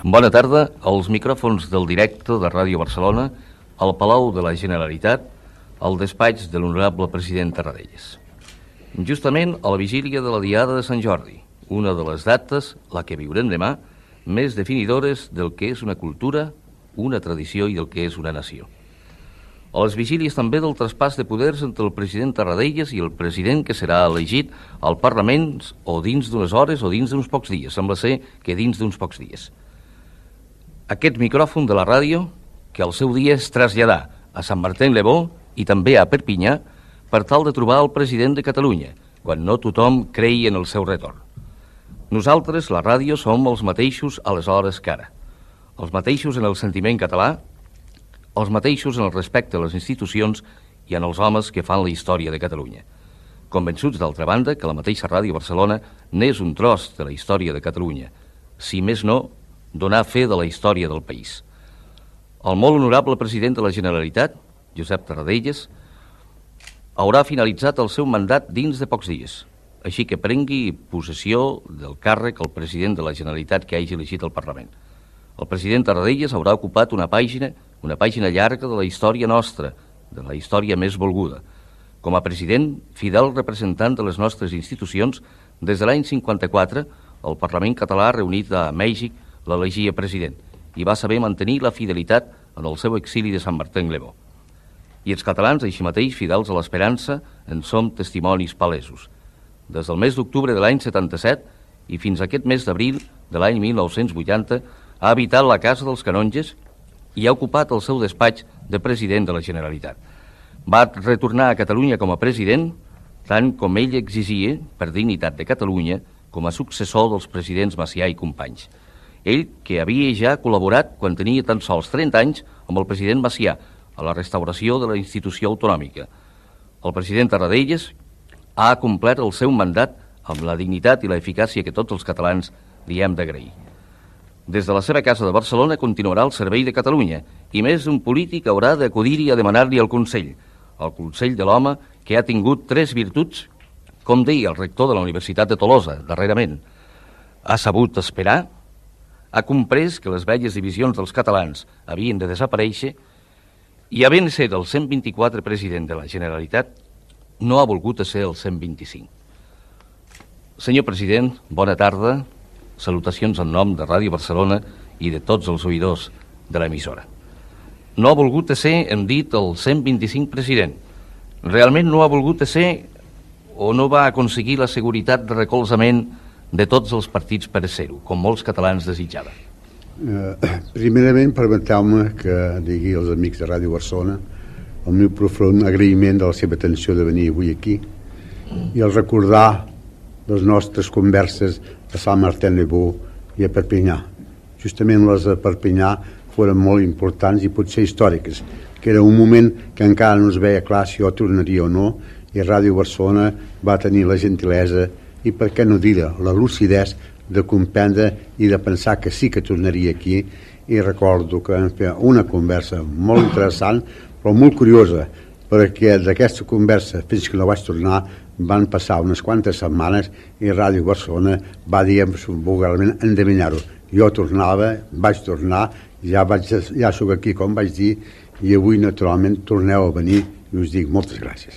Bona tarda. Als micròfons del directe de Ràdio Barcelona, al Palau de la Generalitat, al despatx de l'honorable president Tarradellas. Justament a la vigília de la Diada de Sant Jordi, una de les dates, la que viurem demà, més definidores del que és una cultura, una tradició i del que és una nació. A les vigílies també del traspàs de poders entre el president Tarradellas i el president que serà elegit al Parlament o dins d'unes hores o dins d'uns pocs dies. Sembla ser que dins d'uns pocs dies. Aquest micròfon de la ràdio, que al seu dia es traslladà a Sant Martin-le-Beau i també a Perpinyà per tal de trobar el president de Catalunya, quan no tothom creia en el seu retorn. Nosaltres, la ràdio, som els mateixos aleshores que ara. Els mateixos en el sentiment català, els mateixos en el respecte a les institucions i en els homes que fan la història de Catalunya. Convençuts, d'altra banda, que la mateixa Ràdio Barcelona n'és un tros de la història de Catalunya, si més no, donar fe de la història del país. El molt honorable president de la Generalitat, Josep Tarradellas, haurà finalitzat el seu mandat dins de pocs dies, així que prengui possessió del càrrec el president de la Generalitat que hagi elegit al Parlament. El president Tarradellas haurà ocupat una pàgina llarga de la història nostra, de la història més volguda. Com a president, fidel representant de les nostres institucions, des de l'any 54, el Parlament català reunit a Mèxic l'elegia president i va saber mantenir la fidelitat en el seu exili de Sant Martin-le-Beau. I els catalans, així mateix, fidels a l'esperança, en som testimonis palesos. Des del mes d'octubre de l'any 77 i fins a aquest mes d'abril de l'any 1980 ha habitat la Casa dels Canonges i ha ocupat el seu despatx de president de la Generalitat. Va retornar a Catalunya com a president, tant com ell exigia, per dignitat de Catalunya, com a successor dels presidents Macià i Companys. Ell, que havia ja col·laborat quan tenia tan sols 30 anys amb el president Macià a la restauració de la institució autonòmica. El president Tarradellas ha complert el seu mandat amb la dignitat i l'eficàcia que tots els catalans li hem d'agrair. Des de la seva casa de Barcelona continuarà el servei de Catalunya i més d'un polític haurà d'acudir-hi a demanar-li el consell de l'home que ha tingut 3 virtuts, com deia el rector de la Universitat de Tolosa darrerament. Ha sabut esperar, ha comprès que les velles divisions dels catalans havien de desaparèixer i, havent de ser el 124 president de la Generalitat, no ha volgut ser el 125. Senyor president, bona tarda. Salutacions en nom de Ràdio Barcelona i de tots els oïdors de l'emissora. No ha volgut ser, hem dit, el 125 president. Realment no ha volgut ser o no va aconseguir la seguretat de recolzament de tots els partits per ser-ho, com molts catalans desitjaven. Primerament, permeteu-me que digui als amics de Ràdio Barcelona el meu profund agraïment de la seva atenció de venir avui aquí i el recordar les nostres converses a Sant Martin-le-Beau i a Perpinyà. Justament les de Perpinyà foren molt importants i potser històriques, que era un moment que encara no es veia clar si jo tornaria o no, i Ràdio Barcelona va tenir la gentilesa i, per què no dir-ho, la lucidesa de comprendre i de pensar que sí que tornaria aquí. I recordo que vam fer una conversa molt interessant, però molt curiosa, perquè d'aquesta conversa fins que no vaig tornar van passar unes quantes setmanes i Ràdio Barcelona va dir vulgarment endevinar-ho. Jo tornava, vaig tornar, ja soc aquí com vaig dir, i avui naturalment torneu a venir i us dic moltes gràcies.